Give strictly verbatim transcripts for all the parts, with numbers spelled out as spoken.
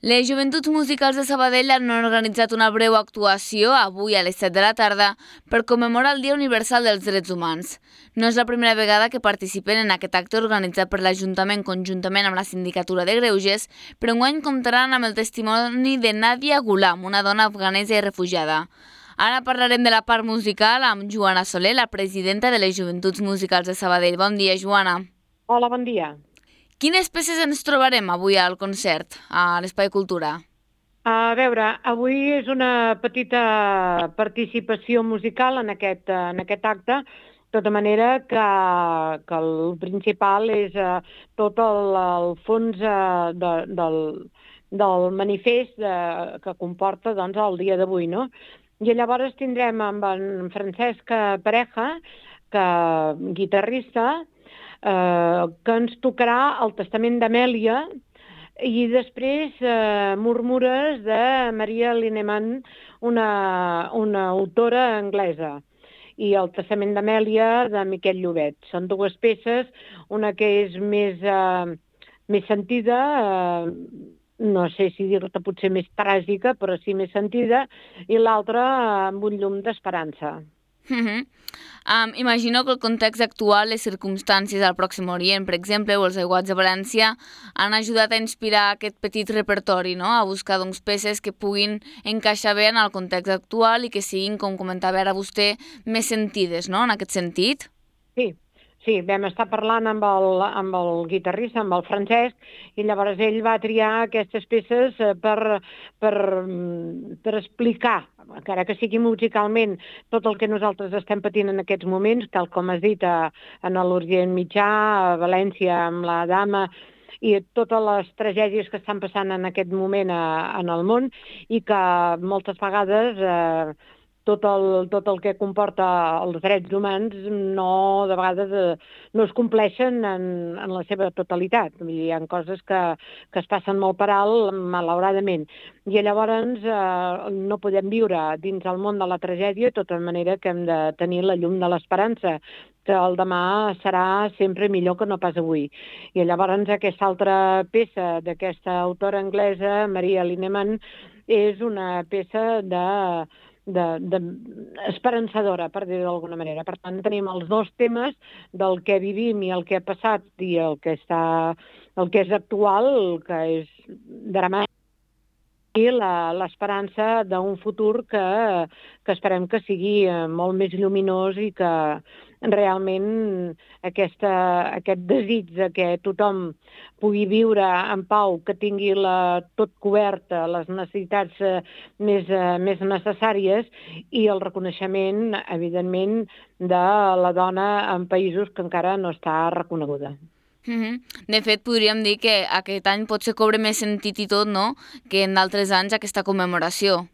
Les Joventuts Musicals de Sabadell han organitzat una breu actuació avui a les set de la tarda per commemorar el Dia Universal dels Drets Humans. No és la primera vegada que participen en aquest acte organitzat per l'Ajuntament conjuntament amb la Sindicatura de Greuges, però enguany comptaran amb el testimoni de Nadia Ghulam, una dona afganesa i refugiada. Ara parlarem de la part musical amb Joana Soler, la presidenta de les Joventuts Musicals de Sabadell. Bon dia, Joana. Hola, bon dia. Quines peces ens trobarem avui al concert, a l'Espai Cultura? A veure, avui és una petita participació musical en aquest, en aquest acte, de tota manera que, que el principal és eh, tot el, el fons eh, de, del, del manifest eh, que comporta doncs, el dia d'avui, no? I llavors tindrem amb en Francesc Pareja, que guitarrista, eh, que ens tocarà el Testament d'Amèlia, i després eh, Murmures de Maria Lineman, una, una autora anglesa, i el Testament d'Amèlia de Miquel Llobet. Són dues peces, una que és més, eh, més sentida, eh, no sé si dir-te potser més tràgica, però sí més sentida, i l'altra eh, amb un llum d'esperança. Uh -huh. um, imagino que el context actual, les circumstàncies al Pròxim Orient, per exemple, o els aiguats de València, han ajudat a inspirar aquest petit repertori, no? A buscar doncs, peces que puguin encaixar bé en el context actual i que siguin, com comentava ara vostè, més sentides, no? En aquest sentit. Sí, sí, vam estar parlant amb el, amb el guitarrista, amb el Francesc, i llavors ell va triar aquestes peces eh, per, per, mm, per explicar, encara que sigui musicalment, tot el que nosaltres estem patint en aquests moments, tal com has dit, a, en l'Orient Mitjà, a València, amb la dama, i totes les tragèdies que estan passant en aquest moment a, en el món, i que moltes vegades eh, tot el, tot el que comporta els drets humans no, de vegades, eh, no es compleixen en, en la seva totalitat. Vull dir, hi ha coses que, que es passen molt per alt, malauradament. I llavors eh, no podem viure dins el món de la tragèdia, de tota manera que hem de tenir la llum de l'esperança, que el demà serà sempre millor que no pas avui. I llavors aquesta altra peça d'aquesta autora anglesa, Maria Lineman, és una peça de de, de esperançadora, per dir-ho d'alguna manera. Per tant, tenim els dos temes del que vivim i el que ha passat i el que està, el que és actual, el que és dramàtic, i l'esperança d'un futur que, que esperem que sigui molt més lluminós i que realment aquesta, aquest desig de que tothom pugui viure en pau, que tingui la, tot coberta, les necessitats eh, més, eh, més necessàries, i el reconeixement, evidentment, de la dona en països que encara no està reconeguda. Uh -huh. De fet, podríem dir que aquest any potser cobra més sentit i tot, no?, que en d'altres anys aquesta commemoració.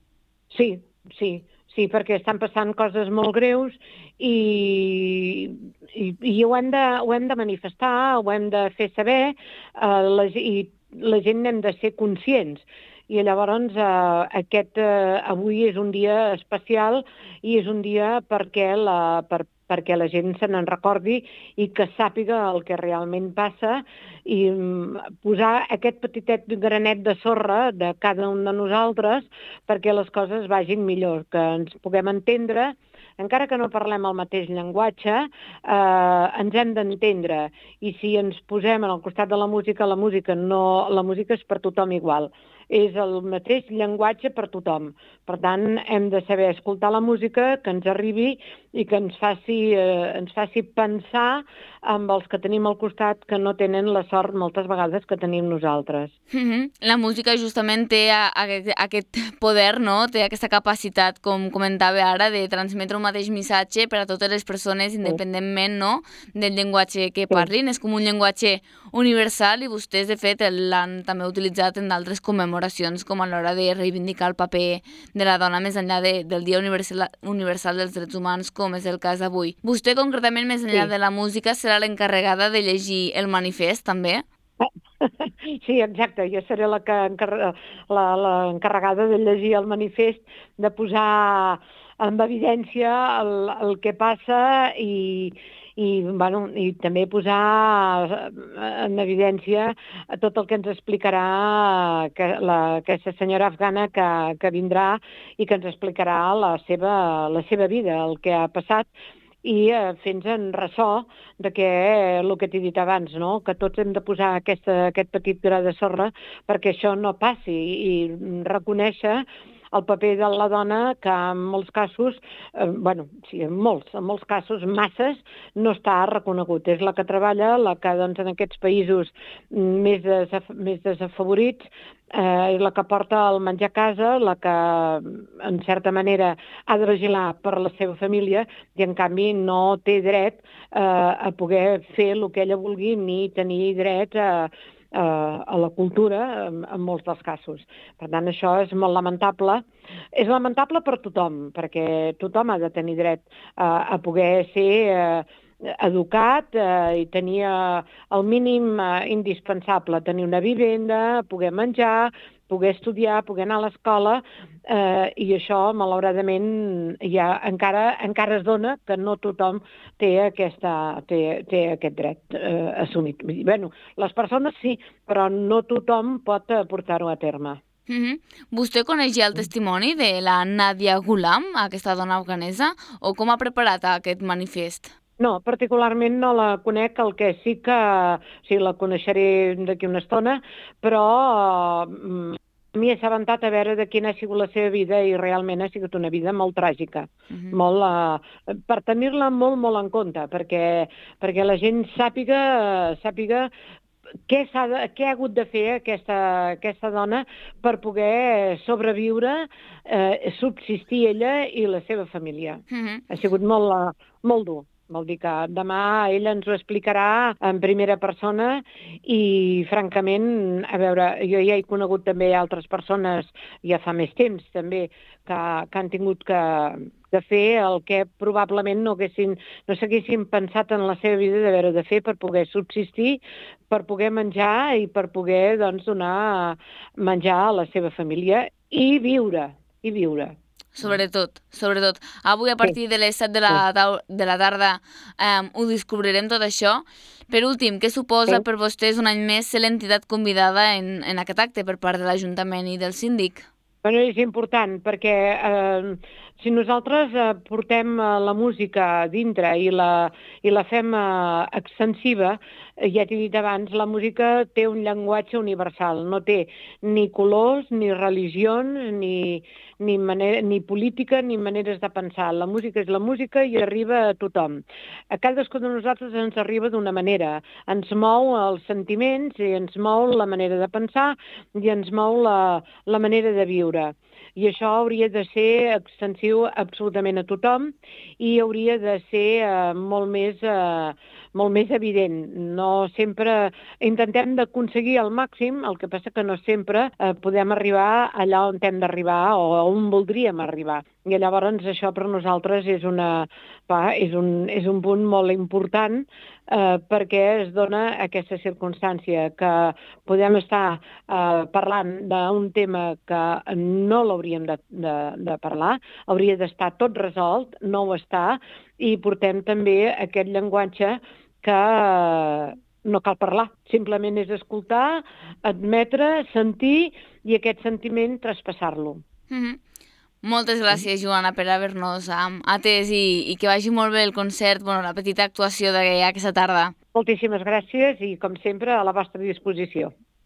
Sí, sí, sí, perquè estan passant coses molt greus i, i, i ho, hem de, ho hem de manifestar, ho hem de fer saber, eh, la, i la gent n'hem de ser conscients. I llavors eh, aquest eh, avui és un dia especial i és un dia perquè la, per, perquè la gent se n'en recordi i que sàpiga el que realment passa, i mm, posar aquest petitet granet de sorra de cada un de nosaltres perquè les coses vagin millor, que ens puguem entendre, encara que no parlem el mateix llenguatge, eh, ens hem d'entendre. I si ens posem al costat de la música, la música no, la música és per tothom igual. És el mateix llenguatge per tothom. Per tant, hem de saber escoltar la música, que ens arribi i que ens faci, eh, ens faci pensar amb els que tenim al costat, que no tenen la sort moltes vegades que tenim nosaltres. Uh -huh. La música justament té a, a, aquest poder, no?, té aquesta capacitat, com comentava ara, de transmetre un mateix missatge per a totes les persones, Sí, independentment, no?, del llenguatge que sí. parlin. És com un llenguatge universal i vostès, de fet, l'han també utilitzat en d'altres commemoracions, com a l'hora de reivindicar el paper de la dona més enllà de, del Dia Universal, Universal dels Drets Humans, com és el cas d'avui. Vostè, concretament, més enllà Sí. de la música, serà l'encarregada de llegir el manifest, també? Sí, exacte. Jo seré la que encar- la, la encarregada de llegir el manifest, de posar en evidència el, el que passa i, i, bueno, i també posar en evidència tot el que ens explicarà que la, aquesta senyora afgana que, que vindrà i que ens explicarà la seva, la seva vida, el que ha passat, i eh, fent-nos en ressò de que, eh, el que t'he dit abans, no? Que tots hem de posar aquesta, aquest petit gra de sorra perquè això no passi i reconèixer el paper de la dona que en molts casos, eh, bueno, sí, en molts, en molts casos, masses, no està reconegut. És la que treballa, la que doncs, en aquests països més, desaf més desafavorits, eh, és la que porta el menjar a casa, la que, en certa manera, ha de vigilar per la seva família i, en canvi, no té dret eh, a poder fer el que ella vulgui ni tenir dret a, a, a la cultura en, en molts dels casos. Per tant, això és molt lamentable. És lamentable per tothom, perquè tothom ha de tenir dret a, a poder ser eh, educat eh, i tenir eh, el mínim eh, indispensable, tenir una vivenda, poder menjar, poder estudiar, poder anar a l'escola, eh, i això, malauradament, ja encara, encara es dona que no tothom té, aquesta, té, té aquest dret eh, assumit. Bueno, les persones sí, però no tothom pot portar-ho a terme. Mm-hmm. Vostè coneix ja el testimoni de la Nadia Ghulam, aquesta dona afganesa, o com ha preparat aquest manifest? No, particularment no la conec, el que sí que sí la coneixeré d'aquí una estona, però eh, m'hi he assabentat a veure de quina ha sigut la seva vida i realment ha sigut una vida molt tràgica, uh-huh. molt, eh, per tenir-la molt, molt en compte, perquè, perquè la gent sàpiga, sàpiga què, s'ha de, què ha hagut de fer aquesta, aquesta dona per poder sobreviure, eh, subsistir ella i la seva família. Uh-huh. Ha sigut molt, molt dur. Vol dir que demà ella ens ho explicarà en primera persona i, francament, a veure, jo ja he conegut també altres persones, ja fa més temps també, que, que han tingut que, de fer el que probablement no haguessin, no s'haguessin pensat en la seva vida d'haver de fer per poder subsistir, per poder menjar i per poder, doncs, donar menjar a la seva família i viure, i viure. Sobretot, sobretot. Avui, a partir de les set de la, de la tarda, um, ho descobrirem tot això. Per últim, què suposa sí. per vostès un any més ser l'entitat convidada en, en aquest acte per part de l'Ajuntament i del síndic? Bueno, és important, perquè eh, si nosaltres eh, portem eh, la música dintre i la, i la fem eh, extensiva, eh, ja t'he dit abans, la música té un llenguatge universal, no té ni colors, ni religions, ni, ni, manera, ni política, ni maneres de pensar. La música és la música i arriba a tothom. A cadascú de nosaltres ens arriba d'una manera. Ens mou els sentiments i ens mou la manera de pensar i ens mou la, la manera de viure. I això hauria de ser extensiu absolutament a tothom i hauria de ser eh, molt més, eh, molt més evident. No sempre intentem d'aconseguir al màxim, el que passa que no sempre eh, podem arribar allà on hem d'arribar o on voldríem arribar. I llavors això per nosaltres és, una, va, és, un, és un punt molt important eh, perquè es dona aquesta circumstància que podem estar eh, parlant d'un tema que no l'hauríem de, de, de parlar, hauria d'estar tot resolt, no ho està, i portem també aquest llenguatge que no cal parlar, simplement és escoltar, admetre, sentir i aquest sentiment traspassar-lo. Mm-hmm. Moltes gràcies, Joana, per haver-nos um, atès i, i que vagi molt bé el concert, bueno, la petita actuació d'aquesta tarda. Moltíssimes gràcies i, com sempre, a la vostra disposició.